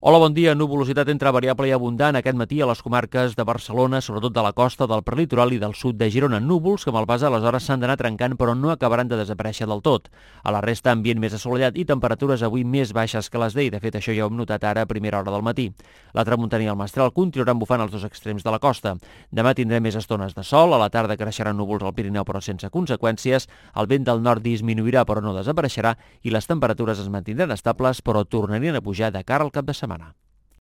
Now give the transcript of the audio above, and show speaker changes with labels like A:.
A: Hola, bon dia. Nuvolositat entre variable i abundant aquest matí a les comarques de Barcelona, sobretot de la costa, del prelitoral i del sud de Girona. Núvols que amb el pas a les hores s'han d'anar trencant però no acabaran de desaparèixer del tot. A la resta, ambient més assolellat i temperatures avui més baixes que les d'ahir. De fet, això ja ho hem notat ara a primera hora del matí. La tramuntana i el mestral continuaran bufant als dos extrems de la costa. Demà tindrem més estones de sol, a la tarda creixeran núvols al Pirineu però sense conseqüències, el vent del nord disminuirà però no desapareixerà i les temperatures es mantindran estables però tornarien a pujar de cara al cap de setmana.